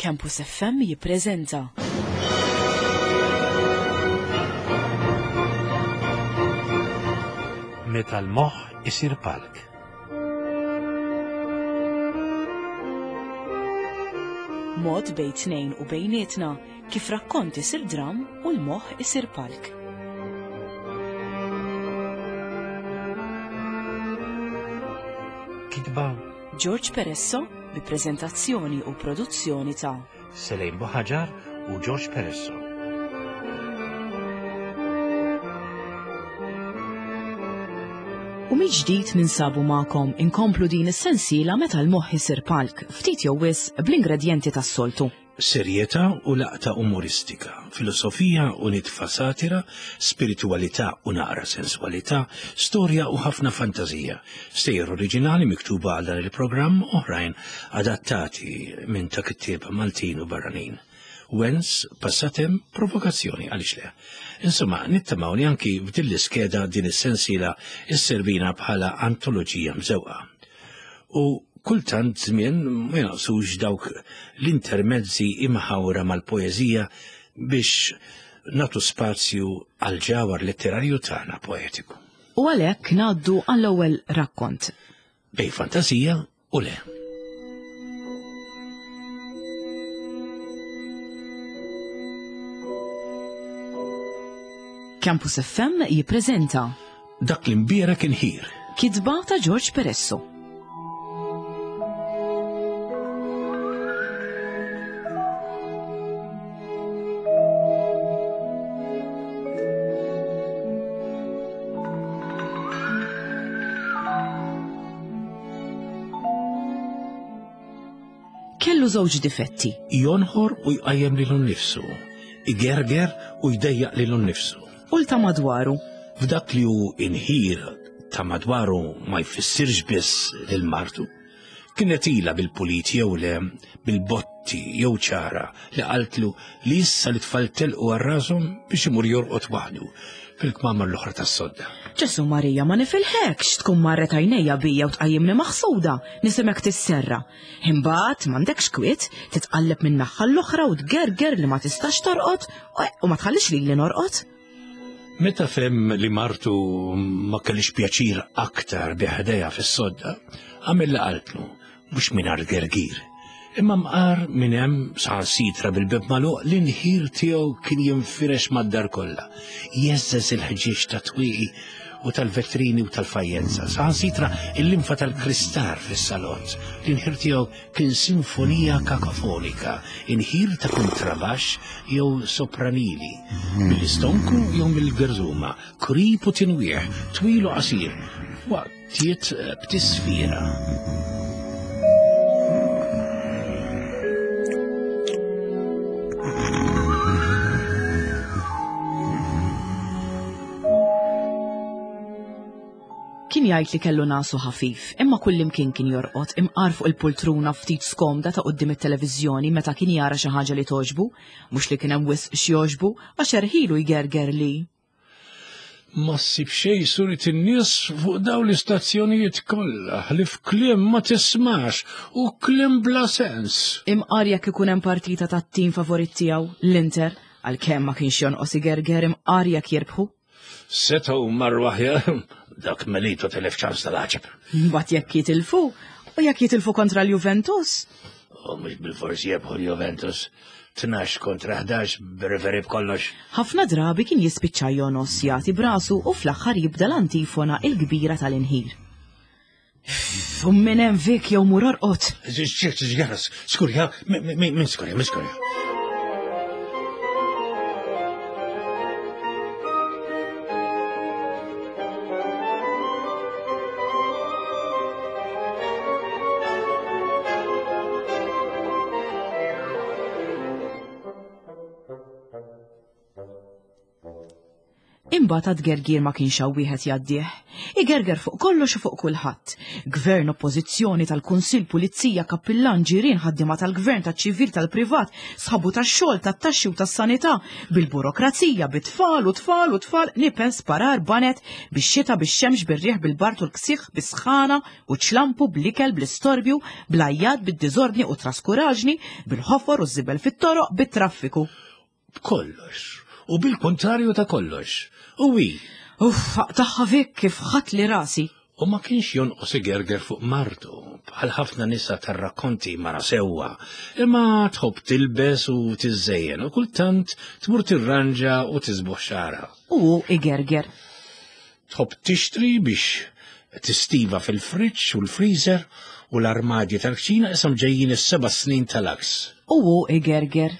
Campus FM jippreżenta. Meta l-moħħ isir palk. Mod bejn tnejn u bejnietna kif rakkont isir dram u l-moħħ isir palk. Kitba George Peresso bi preżentazzjoni u produzzjoni ta' Selejn Buħaġar u George Peresso. U mill-ġdid ninsabu magħkom inkomplu din is-sensiela meta l-moħħ isir palk, ftit jew wisq bl-ingredjenti tas-soltu. Serjetà u laqta umoristika, filosofija u nitfa satira, spiritwalità u naqra senswalità, storja u ħafna fantażija. Stejjer oriġinali miktuba għal dan il-programm, oħrajn adattati minn ta' kittieba Maltin u barranin. Wens, passatem, provokazzjoni, għaliex le. Insomma, nittamaw li anki f'din l-iskeda din is-sensiela isservina bħala antoloġija mżewqa. U kultant żmien ma jonqsux dawk l-intermezzi imħawra mal-poeżija biex nagħtu spazju għall-ġawhar letterarju tagħna poetiku. U għalhekk ngħaddu għall-ewwel rakkont. Bejn fantasija u le. Campus FM jippreżenta Dak li mbierek inħir. Kitba ta' George Peresso. Kellu żewġ difetti. Jonħor u jqajjem lilu nnifsu, igerger u jdejjaq lilu nnifsu. U l ta' madwaru. F'dak li hu inħir ta' madwaru ma jfissirx biss lil martu. Kienet ilha bil-pulit jew le, bil-botti jew ċara li qaltlu li issa li tfal telqu għal rashom biex imur jorqod waħdu fil-kmamar l-oħra tas-sodda. Ġesu Marija ma nifilħekx tkun marret għajnejja bija u tqajjimni maħsuda, nisimek tisserra. Imbagħad m'għandekx kwiet, titqalleb minn naħa l-oħra u tgerger li ma tistax torqod u ma tħallix lili norqod. Meta fem li martu ma kellix pjaċir aktar bi ħdejha fis-sodda, għamel li qaltlu, mhux mingħajr gergir. Imma mqar minn hemm saħansitra bil-bib magħluq l-inħir tiegħu kien jinfirex mad-dar kollha, jeżżeż il-ħġieġ ta' twieqi u tal-vetrini u tal-fajjenza, saħansitra il-linfa tal-kristar fis-salott. L-inħir tiegħu kien sinfonija kakofonika, inħir ta' kontrabaxx jew sopranili, mill-istonku jew mill-gerżuma, krip u tinwieħ, twil u qasir, waqtiet b'tisfira. Kien jgħid li kellu nasu ħafif, imma kullimkien kien jorqod imqar fuq il-pultruna ftit skomda ta' quddiem it-televiżjoni meta kien jara xi ħaġa li togħġbu, mhux li kien hemm wisq x'jogħġbu għax erħilu jgerger li. Ma ssib xejn surit in-nies fuq dawn l-istazzjonijiet kollha ħlief kliem ma tismax u kliem bla sens. Imqar jekk ikun hemm partita tat-tim favorit tiegħu, l-Inter, għalkemm ma kienx jonqos igerger imqar jekk jirbħu. Setgħu marru aħjar, dak Melito telef ċans tal-għaġeb. Mbagħad jekk jitilfu, u jekk jitilfu kontra l-Juventus? U mhux bil-forsi jebħu l-Juventus. 12 kontra 11 b'referi b'kollox. Ħafna drabi kien jispiċċa jonos jagħti brasu u fl-aħħar jibda l-antifona il-kbira tal-inħir. U minn hemm vik jew mur orqod. Skurja, minn skurja, minn skurja. Imbagħad għad-tgergir ma kienx hawn wieħed jgħaddih. Igerger fuq kollox u fuq kulħadd. Gvern, oppożizzjoni, tal-kunsill, pulizija, kappillan, ġirien, ħaddiema tal-gvern, taċ-ċivil, tal-privat, sħabu tax-xogħol, tat-taxxi u tas-sanità, bil-burokrazija, bit-tfal u tfal u tfal, nipen, sparar, baned, bix-xita, bix-xemx, bir-riħ, bil-bard u l-ksieħ, bis-sħana u ċ-ċlampu, bl-ikel, bl-istorbju, bl-għajjat, bid-diżordni u t-traskuraġni, bil-ħofor u ż-żibel fit-toroq, bit-traffiku. B'kollox. U bil-kuntrarju ta' kollox. U hi. Uff, aqtagħha Vic kif ħadtli rasi. U ma kienx jonqos igerger fuq martu, bħal ħafna nisa tar-rakkonti mara sewwa, imma tħobb tilbes u tiżżejjen u kultant tmur tirranġa u tiżboħ xagħarha. U hu igerger. Tħobb tixtri biex tistiva fil-friġġ u l-freezer u l-armadji tal-kċina ishom ġejjin is-seba' snin tal-għaks. U hu igerger.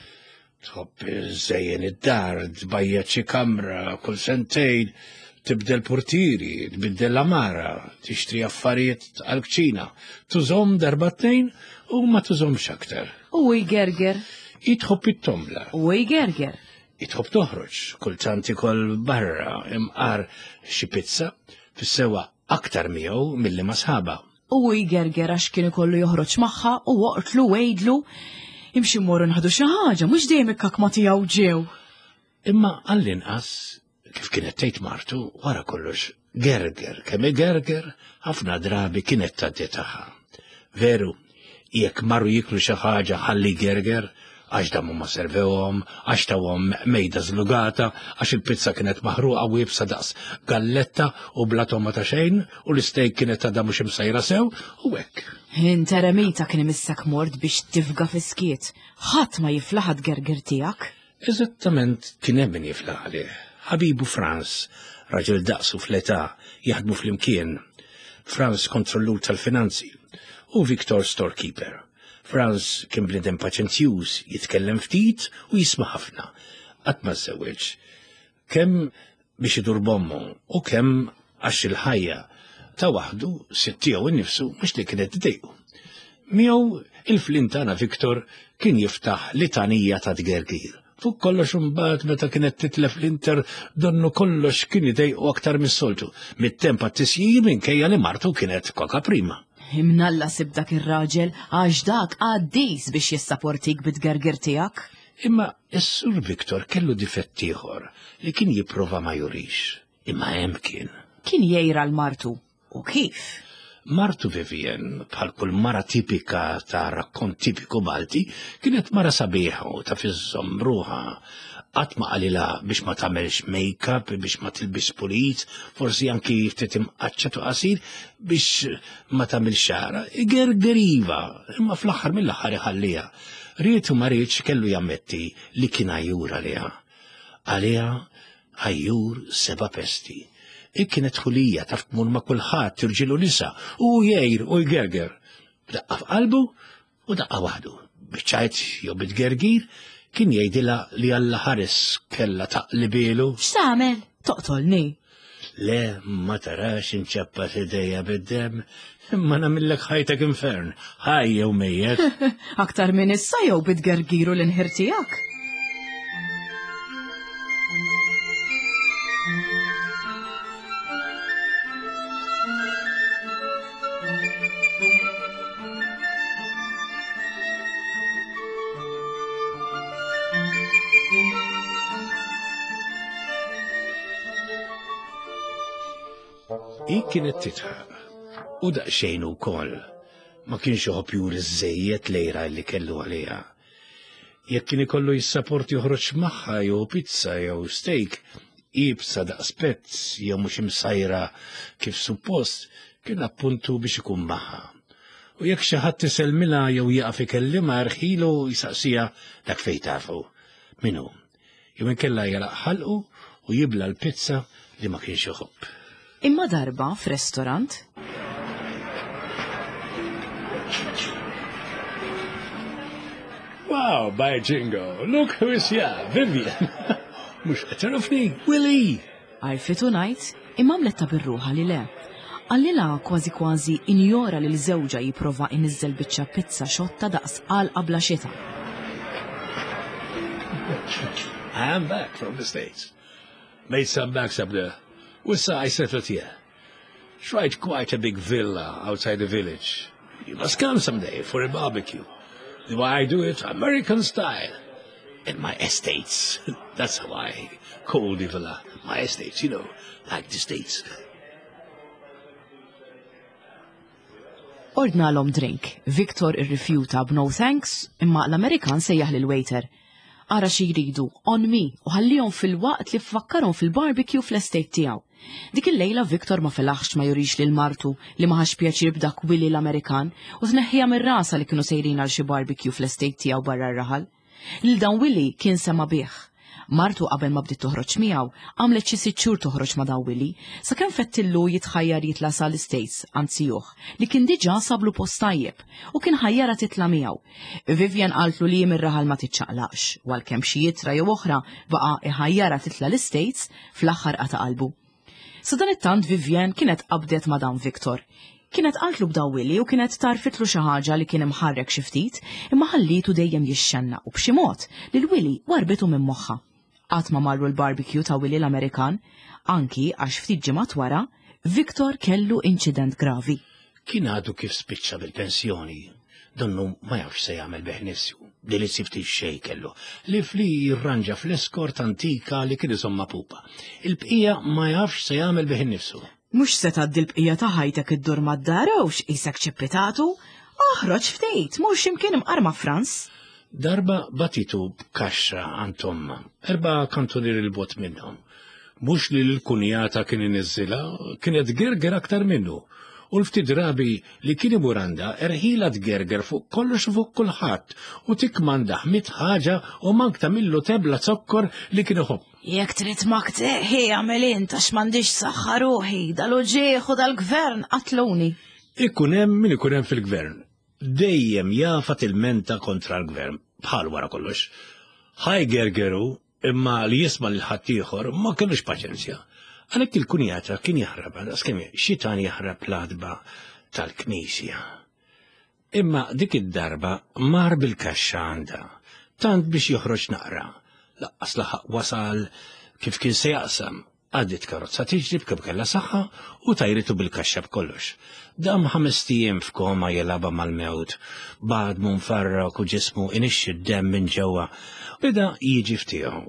Tħobb iżżejjen id-dar, tbajjad xi kamra kull sentejn, tibdel portieri, tbiddel l-għamara, tixtri affarijiet għall-kċina, tużhom darba tnejn u ma tużhomx aktar. U jgerger. Hi tħobb it-tombla. U jgerger. Hi tħobb toħroġ, kultant ikol barra, imqar xi pizza, fis-sewwa aktar miegħu milli ma' sħabha. U jgerger għax kien ikollu joħroġ magħha u oqtlu għidlu imxi mmorru nħadu xi ħaġa, mhux dejjem ikkakma tiegħu ġew. Imma għall-inqas, kif kienet tgħid martu, wara kollox gerger, kemm igerger, ħafna drabi kienet tgħaddi tagħha. Veru, jekk marru jiklu xi ħaġa ħalli gerger, għax damu ma servewhom, għax tawhom mejda żlugata, għax il-pizza kienet maħruqa u iebsa daqs galletta u bla togħma ta' xejn, u l-istejk kienet għadha mhux imsajra sew, u hekk. Int eremita kien imissek mort biex tifga fis-skiet. Ħadd ma jiflaħ għat-tgergir tiegħek. Eżattament kien hemm min jiflaħ għalih. Ħabibu Franz, raġel daqsu fl-età, jaħdmu flimkien. Franz kontrollur tal-finanzi u Victor storekeeper. Franz kien bniedem paċenzjuż, jitkellem ftit u jisma' ħafna. Qatt ma żżewweġ. Kemm biex idur b'ommu u kemm għax il-ħajja ta' waħdu, sid tiegħu nnifsu mhux li kienet tdejqu. Miegħu il-flin tagħna Victor kien jiftaħ litanija ta' tgergir. Fuq kollox imbagħad meta kienet titlef l-Inter donnu kollox kien idejqu aktar mis-soltu, mit-temp għat-tisjir minkejja li martu kienet koka prima. Imnalla sib dak ir-raġel għax dak qaddis biex jissaportik bit-tgergir tiegħek. Imma s-Sur Victor kellu difett ieħor li kien jipprova ma jurix, imma hemm kien. Kien jgħir għal martu U kif? Martu Vivian, bħal kull mara tipika ta' rakkont tipiku Malti, kienet mara sabiħa u taf iżżomm ruħha. Qatt ma qalilha biex ma tagħmelx make-up, biex ma tilbisx pulit, forsi anki ftit imqaċċat u qasir biex ma tagħmilx xagħarha. Igerger iva, imma fl-aħħar mill-aħħar iħalliha. Ried u ma riedx kellu jammetti li kien għajjur għaliha. Għaliha Għajjur seba' pesti. Hi kienet ħulija taf tmur ma' kulħadd, irġiel u nisa, u hu jgħir u jgerger. B'daqqa f'qalbu u daqqa waħdu. Biċ-ċajt jew bit-tgergir kien jgħidilha li Alla ħares kellha taqlibielu. X'tagħmel? Toqtolni? Le, ma tarax inċappat idejja bid-demm, imma nagħmillek ħajtek infern, ħaj jew mejjet. Aktar minn issa jew bit-tgergir u l-inħir tiegħek? Hi kienet titħaq u daqsxejn ukoll ma kienx iħobb juri żejjed lejra li kellu għaliha. Jekk kien ikollu jissaporti joħroġ magħha jew pizza jew steak, iebsa daqs pezz jew mhux imsajra kif suppost, kien appuntu biex ikun magħha. U jekk xi ħadd isellmilha jew jaqaf ikellimha erħilu jsaqsiha dak fejn tafu. Min hu? Jew inkella jagħlaq ħalqu u jibla' l-pizza li ma kienx iħobb. Imma darba f'restorant. Wow, by jingo, look who is here, Vivian. Mhux qed tagħrafni, Willie! Għarfitu ngħid, imma għamlet ta' bir-ruħha li le. Qalilha kważi kważi injora lil żewġha jipprova iniżżel biċċa pizza xotta daqs għalqa bla xita. I am back from the States. Made some backs up there. Wissa I settled here. Tried quite a big villa outside the village. You must come someday for a barbecue. The way I do it, American style. In my estates. That's how I call the villa. My estates, you know, like the states. Ordnalhom drink. Victor irrifjuta b'no thanks, imma l-Amerikan sejjaħ lil waiter. Ara xi jridu, on me, u ħallihom fil-waqt li fakkarhom fil-barbecue fl-estate tiegħu. Dik il-lejla Victor ma felaħx ma jurix lil martu li ma ħax pjaċir b'dak Willy l-Amerikan u tneħħija mir-rasa li kienu sejrin għal xi barbecue fl-estate tiegħu barra r-raħal. Lil dan Willy kien sema' bih. Martu qabel ma bdiet toħroġ miegħu, għamlet xi sitt xhur toħroġ ma' dan Willy, sakemm fettillu jitħajjar jitla' sa l-Istates għand zijuh, li kien diġà sablu post tajjeb u kien ħajjarha titla' miegħu. Vivian qaltlu li hi mir-raħal ma tiċċaqlaqx, u għalkemm xi ittra jew oħra baqa' iħajjarha titla' l-Istates, fl-aħħar qata' qalbu. Sadanittant Vivienne kienet qabdet ma' dan Victor. Kienet qaltlu b'daw Willy u kienet tgħarrfitlu xi ħaġa li kien imħarrek xi ftit, imma ħallietu dejjem jixxennaq u b'xi mod lil Willy warrbitu minn moħħha. Qatt ma marru l-barbecue ta' Willy l-Amerikan, anki għax ftit ġimgħat wara, Victor kellu inċident gravi. Kien għadu kif spiċċa bil-pensjoni, donnu ma jafx se jagħmel bih nifsu. Delizzi ftit xejn kellu, li fli jirranġa fl-eskort antika li kien iżomm ma' pupa. Il-bqija ma jafx se jagħmel bih innifsu. Mhux se tgħaddi l-bqija ta' ħajtek iddur mad-dar hux qisek ċippitatu? Oħroġ ftit, mur x'imkien imqar ma' Franz. Darba batitu b'kaxxa għand ommha, erba' kantunieri 'l bogħod minnhom. Mhux li l-kunjata kien iniżżilha, kienet tgerger aktar minnu. U l-ftit drabi li kien imur għandha, erħilha tgerger fuq kollox u fuq kulħadd u tikkmandah mitt ħaġa u mank tagħmillu tebla zokkor li kien iħobb. Jekk trid makteħi agħmel int għax m'għandix saħħa ruħi, dal-uġigħ u dal-gvern qatluni. Ikun hemm min ikun hemm fil-gvern. Dejjem jafha tilmenta kontra l-gvern, bħal wara kollox. Ħa jgergeru Imma li jisma' lil ħaddieħor ma kellux paċenzja. Għalhekk il-kunjata kien jaħrab daqskemm xitan jaħrab l-għatba tal-knisja. Imma dik id-darba mar bil-kaxxa għandha, tant biex joħroġ naqra. Laqqas laħaq wasal kif kien se jaqsam, Għaddiet karozza tiġri b'kemm kellha saħħa u tajritu bil-kaxxa b'kollox. Dam ħamest ijiem f'koma jilgħabha mal-mewt, b'għadmu mfarrak u ġismu inixxi d-demm minn ġewwa. Beda jiġi f'tiegħu.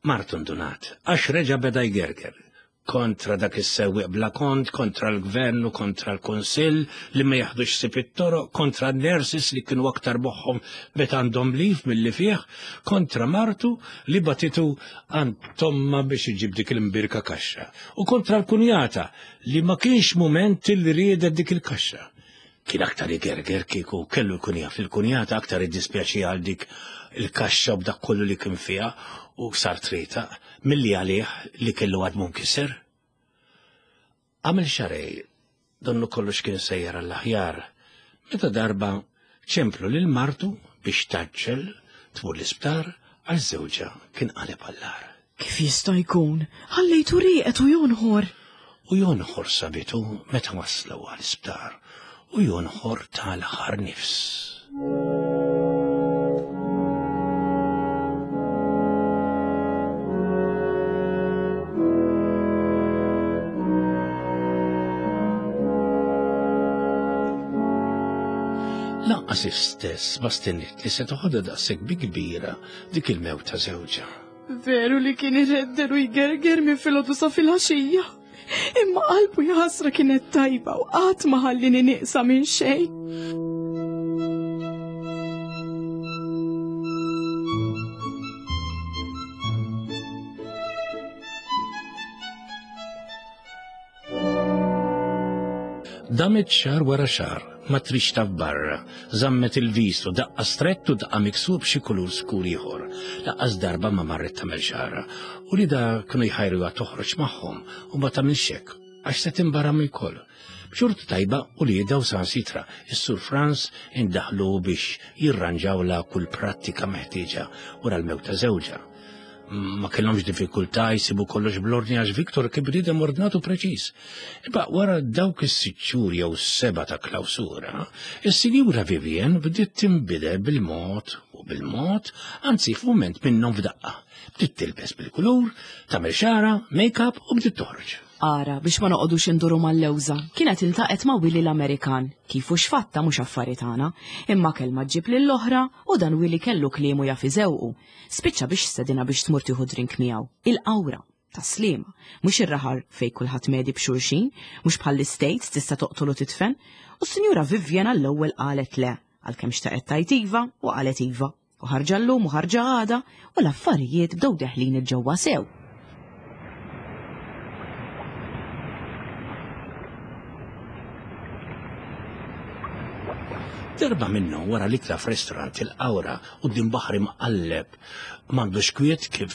Martu ndunat, għax reġa' beda jgerger. Kontra dak is-sewwieq bla kont, kontra l-gvern u kontra l-kunsill li ma jaħdux ħsieb it-toroq, kontra n-nurses li kienu aktar moħħhom meta għandhom leave milli fih, kontra martu li bagħtitu għand ommha biex iġib dik il-mbirka kaxxa u kontra l-kunjata li ma kienx mument li riedet dik il-kaxxa. Kien aktar igerger kieku kellu jkun jaf li l-kunjata aktar iddispjaċi għal dik il-kaxxa u b'dak kollu li kien fiha u sar trietaq milli għalih li kellu għadmu mkisser. Għamel xarej, donnu kollox kien sejjer għall-aħjar, meta darba ċemplu lil martu biex taġġel tmur l-isptar għax żewġha kien qaleb għall-agħar. Kif jista' jkun? Ħallejtu rieqed u jonħor. U jonħor sabitu meta waslu għall-isptar u jonħor tal-aħħar nifs. Lanqas istess ma stenniet li se toħodha daqshekk bi kbira dik il-mewt ta' żewġha. Veru li kien iredder u jgerger minn filgħodu sa filgħaxija. Imma qalbu jaħasra kienet tajba u qatt ma ħallini nieqsa minn xejn. Damet xahar wara xahar, ma trix taf barra, żammet il-visu, daqqa strett u daqqa miksub xi kulur skur ieħor. Laqqas darba ma marret tagħmel xagħarha. U li da kienu jħajruha toħroġ magħhom u ma tagħmilx hekk għax se tinbaram ilkoll. B'xorti tajba uliedha u sansitra, is-Sur Franz indaħlu biex jirranġawlha kull prattika meħtieġa wara l-mewt ta' żewġha. Ma kellhomx diffikultà jsibu kollox bl-ordni għax Victor kien bniedem ordnat u preċiż. Imma wara dawk is-sitt xhur jew seba' ta' klawsura, is-Sinjura Vivian bdiet tinbidel bil-mod u bil-mod, anzi f'mument minnhom f'daqqa. Bdiet tilbes bil-kulur, tagħmel xagħarha, make-up u bdiet toħroġ. Ara, biex ma noqogħdux induru mal-lewża, kienet iltaqgħet ma' Willy l-Amerikan, kif u x'fatta mhux affari tagħna, imma kelma ġġib lill-oħra u dan Willy kellu kliemu jaf iżewqu. Spiċċa biex stedinha biex tmur tieħu drink miegħu. Il-Qawra, Tas-Sliema, mhux ir-raħal fejn kulħadd medi b'xulxin, mhux bħall-Istates tista' toqtol u tidfen. U s-Sinjura Vivian għall-ewwel qalet le, għalkemm xtaqet tgħid iva u qalet iva. U ħarġa llum u ħarġa għada u l-affarijiet bdew deħlin il-ġewwa sew. Darba minnhom wara l-ikla f'restorant il-Qawra quddiem baħar imqalleb m'għandux kwiet kif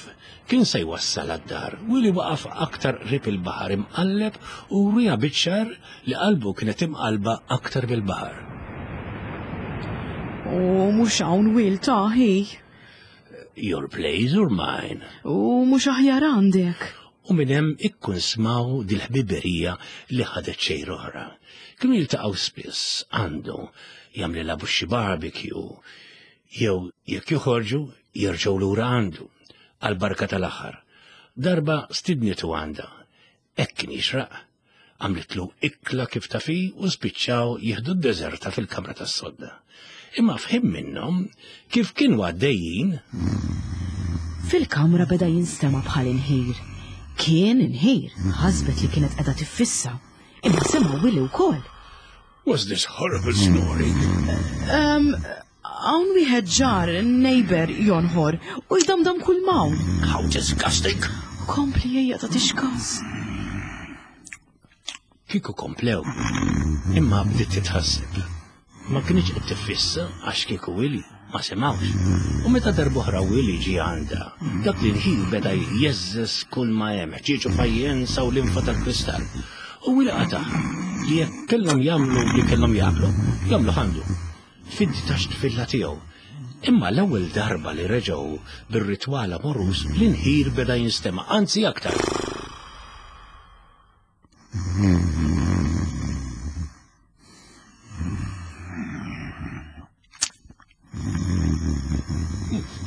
kien se jwassal għad-dar. Willy waqaf aktar qrib il-baħar imqalleb u wriha biċ-ċar li qalbu kienet imqallba aktar mill-baħar. U mhux hawn Will ta' hi. Your place or mine? U mhux aħjar għandek. U minn hemm ikkunsmaw dil-ħbiberija li ħadet xejra oħra. Kienu jiltaqgħu spiss għandu jagħmlilha xi barbecue jew jekk joħorġu jerġgħu lura għandu għall-barka tal-aħħar. Darba stidnitu għandha. Hekk kien jixraq. Għamlitlu ikla kif taf hi u spiċċaw jieħdu d-deżerta fil-kamra tas-sodda. Imma f'ħin minnhom, kif kienu għaddejjin, Fil-kamra beda jinstema' bħal inħir. Kien inħir, ħasbet li kienet qiegħda tiffissa. Imma sema' Willy wkoll. What's this horrible snoring? Um, hawn wieħed ġar, neighbor, jonħor, u jdamdam kull mawn. How disgusting! Kompli ejja ta' tixkas. Kieku komplew, imma bdiet titħasseb. Ma kienx qed tiffissa għax kieku Willy ma semawx. U meta darb'oħra Willy ġie għandha, dak li l-ħin beda jeżżeż kull ma hemm, ħġieġ u fajjenza u linfa tal-kristall. U Willy qatagħha li jekk kellhom jagħmlu li kellhom jagħmlu, jagħmlu għandu. Fid-detached villa tiegħu. Imma l-ewwel darba li reġgħu bir-ritwal amoruż, l-inħir beda jinstema', anzi aktar.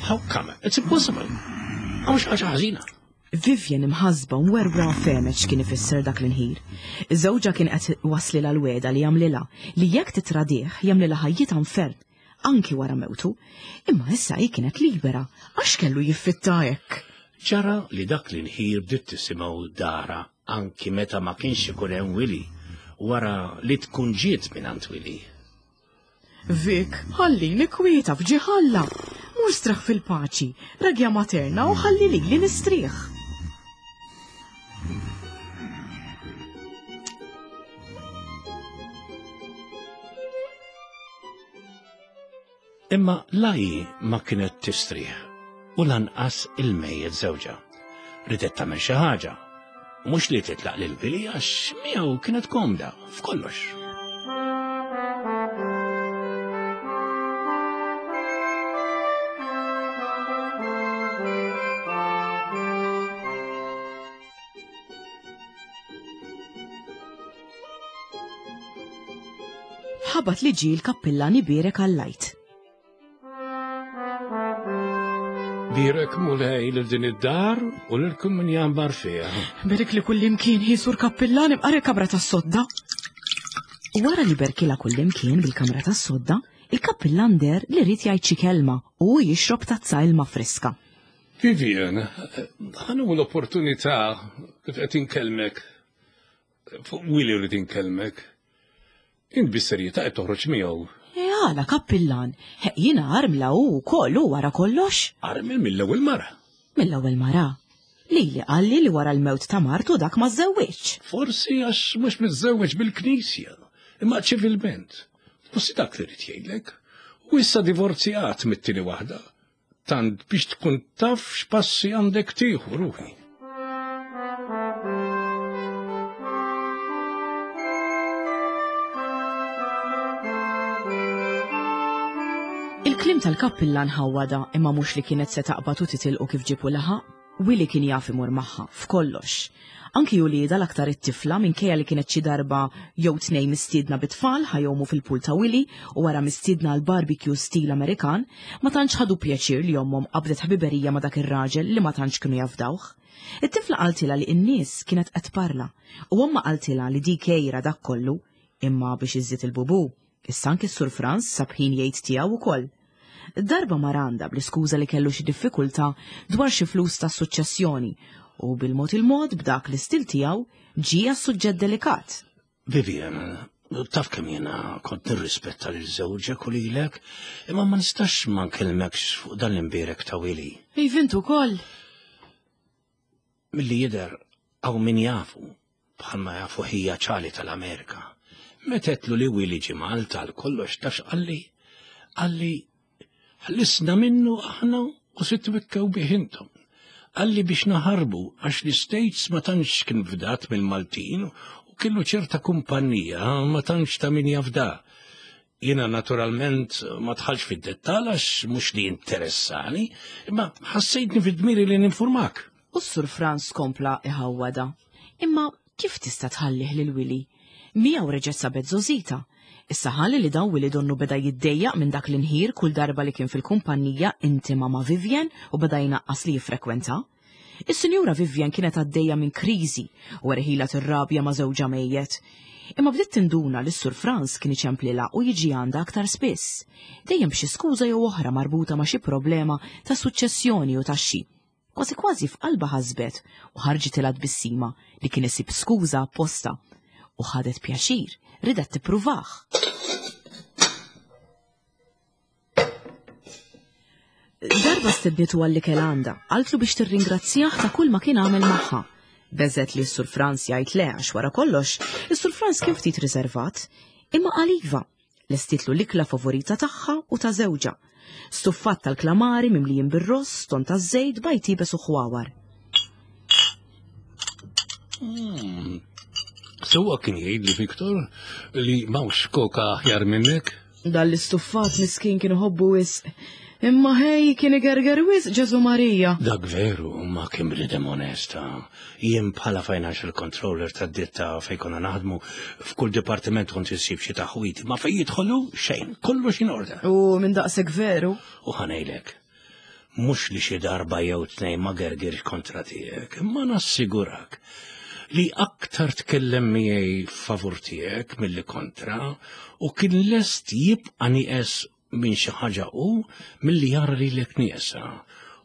How come? It's impossible. Hawn xi ħaġa ħażina. Vivian imħassba u mwerwra fehmet x'kien ifisser dak l-inħir. Żewġha kien qed iwasslilha l-wegħda li jagħmlilha li jekk titradih jagħmlilha ħajjitha infern, anki wara mewtu. Imma issa hi kienet libera, għax kellu jiffitta hekk? Ġara li dak l-inħir bdiet tisimgħu darha anki meta ma kienx ikun hemm Willy, wara li tkun ġiet mingħand Willy. Vic, ħallini kwieta f'ġieħ Alla. Mur straħ fil-paċi, ragja materna u ħalli lili nistrieħ. Imma la hi ma kienet tistrieħ u lanqas il-mejjet żewġha. Ridet tagħmel xi ħaġa. Mhux li titlaq lil Billy għax miegħu kienet komda f'kollox. Ħabat li ġie l-kappillan ibierek għall-Għid. Bierek Mulej lil din id-dar u lil kull min jgħammar fiha. Berek li kullimkien hi sur kappillan imqar il-kamra tas-sodda. U wara li berkilha kullimkien bil-kamra tas-sodda, il-kappillan deher li ried jgħid xi kelma u hu jixrob tazza ilma friska. Vivian, ħa nieħu l-opportunità kif qed inkellmek. Fuq Willy rrid inkellmek. Int bis-serjetà qed toħroġ miegħu. E għala kappillan, jiena armla u wkoll hu wara kollox. Armel mill-ewwel mara. Mill-ewwel mara. Lili qalli li wara l-mewt ta' martu dak ma żżewwiġx. Forsi għax mhux miżżewweġ bil-knisja, imma ċivilment. Forsi dak li rrid jgħidlek. U issa divorzjat mit-tieni waħda. Tant biex tkun taf x'passi għandek tieħu ruħi. Il-kliem tal-kappillan ħawwadha imma mhux li kienet se taqbad u titilqu kif ġieb u laħaq. Willy kien jaf imur magħha f'kollox. Anki uliedha l-aktar it-tifla minkejja li kienet xi darba jew tnejn mistiedna bit-tfal ħa jgħumu fil-pool ta' Willy u wara mistiedna għal barbecue stil Amerikan, ma tantx ħadu pjaċir li ommhom qabdet ħbiberija ma' dak ir-raġel li ma tantx kienu jafdawh. It-tifla qaltilha li n-nies kienet qed tparla u ommha qaltilha li dik għira dak kollu, imma biex iżżid il-bubu, Issa anki s-Sur Frans sab ħin jgħid tiegħu wkoll. Darba mar għandha bl-iskuża li kellu xi diffikultà dwar xi flus tas-suċċessjoni u bil-mod il-mod b'dak l-istil tiegħu ġie għas-suġġett delikat. Vivian, taf kemm jiena kont nirrispetta lil żewġek u lilek, imma ma nistax ma nkellmekx fuq dan l-imbierek ta' Willy. Iva int ukoll. Milli jidher hawn min jafu, bħalma jafu ħija ċali tal-Amerika. Meta għedtlu li Willy ġie Malta għal kollox taf x'qalli? Qalli ħlisna minnu aħna u se twikkew bih intom. Qalli biex naħarbu għax l-States ma tantx kien fdat mill-Maltin u kellu ċerta kumpanija ma tantx ta' min jafda. Jiena naturalment ma dħalx fid-dettall għax mhux li interessani, imma ħassejtni fid-dmiri li ninfurmak. U s-Sur Frans kompla iħawwadha. Imma kif tista' tħallih lil Willy? Miegħu reġgħet sabet żgħożitha. Issa ħalli li dan Willy donnu beda jiddejjaq minn dak l-inħir kull darba li kien fil-kumpanija intima ma' Vivien u beda jnaqqas li jiffrekwenta. Is-Sinjura Vivian kienet għaddejja minn kriżi u erħilha tirrabja ma' żewġha mejjet. Imma bdiet tinduna li s-Sur Frans kien iċemplilha u jiġi għandha aktar spiss, dejjem b'xi skuża jew oħra marbuta ma' xi problema ta' suċċessjoni u taxxi. Kważi kważi f'qalbha ħasbet u ħarġitilha tbissima li kien isib skuża apposta. U ħadet pjaċir, ridet tippruvah. Darba stednitu għall-ikel għandha, qaltlu biex tirringrazzjah ta' kull ma kien għamel magħha. Beżet li s-Sur Franz jgħid le għax wara kollox, is-Sur Franz kien ftit riservat, imma qal iva, lestitlu l-ikla favorita tagħha u ta' żewġha. Stuffat tal-klamari mimlijin bir-ross, ton taż-żejt, bajd iebes u ħwawar. Sewwa kien jgħidli Victor li m'hawnx koka aħjar minnek. Dan l-istuffat miskin kien iħobbu wisq. Imma ħej kien igerger wisq Ġesu Marija. Dak veru, ma kien bniedem onesta. Jien bħala financial controller tad-ditta fejn konna naħdmu f'kull dipartiment kont insib xi taħwit, ma fejn jidħolu xejn, kollox in order. U minn daqshekk veru. U ħanejlek, Mhux li xi darba jew tnejn ma gergirx kontra tiegħek, imma nassigurak li aktar tkellem miegħi favur tiegħek milli kontra u kien lest jibqa' nieqes minn xi ħaġa hu milli jara lilek nieqsa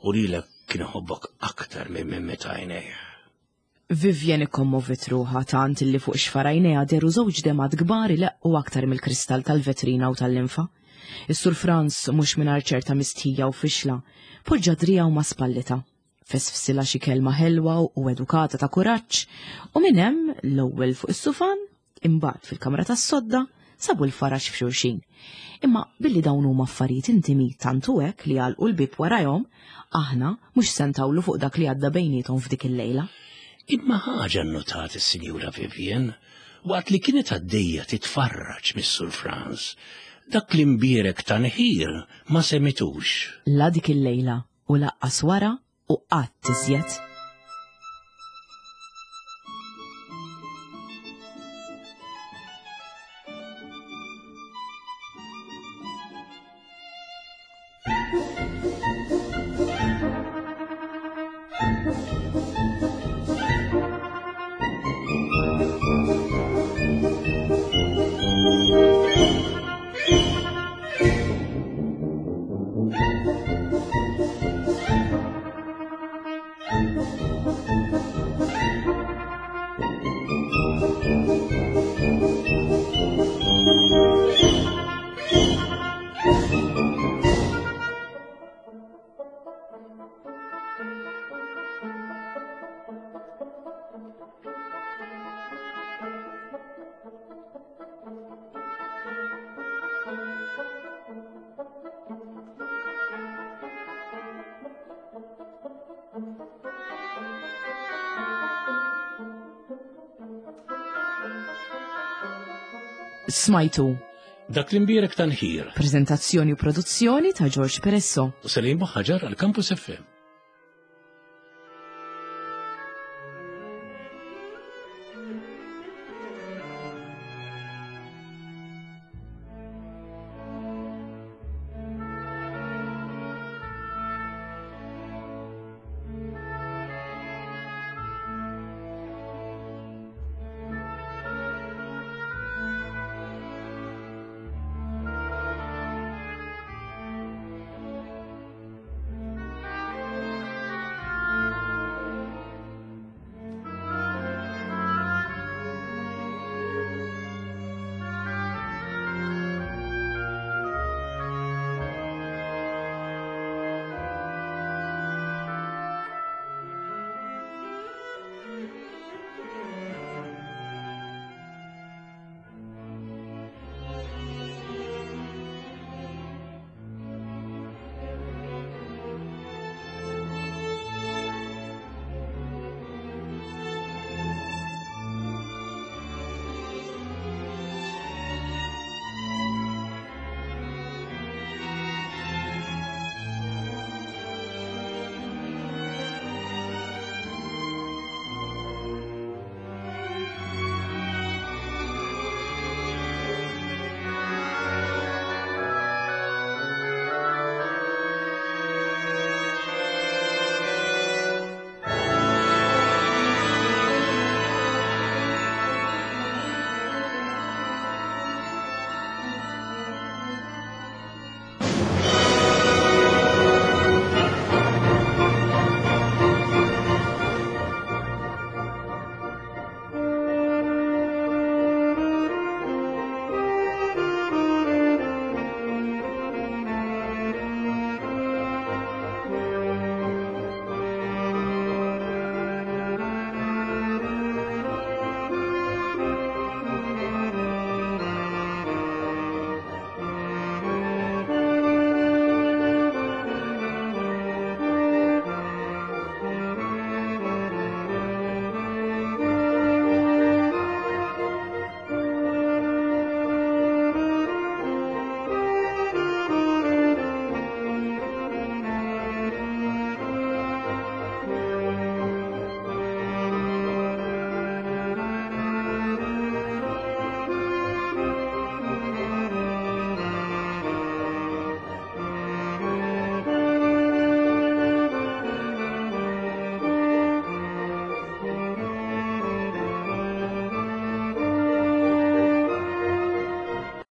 u lilek kien iħobbok aktar minn minn meta għajnejh. Vivian ikkommoviet ruħha tant illi fuq xfar għajnejha dehru żewġ demgħat kbar ileqqu aktar mill-kristall tal-vetrina u tal-linfa. Is-Sur Frans, mhux mingħajr ċerta mistħija u fixla, poġġa driegħu ma' spallitha, fesfsilha xi kelma ħelwa u edukata ta' kuraġġ, u minn hemm, l-ewwel fuq is-sufan, Imbagħad fil-kamra tas-sodda sabu l-faraġ f'xulxin. Imma billi dawn huma affarijiet intimi tant hu hekk li għalqu l-bieb warajhom, aħna mhux se ntawlu fuq dak li għadda bejniethom f'dik il-lejla. Imma ħaġa nnotat is-Sinjura Vivian waqt li kienet għaddejja titfarraġ mis-Sur Frans, dak l-imbierek ta' nħir ma semitux. La dik il-lejla u laqqas wara u qatt iżjed. Smajtu. Dak l-imbierek tanħir. Prezentazzjoni u produzzjoni ta' George Peresso. U Selim Ħaġar għal Campus FM.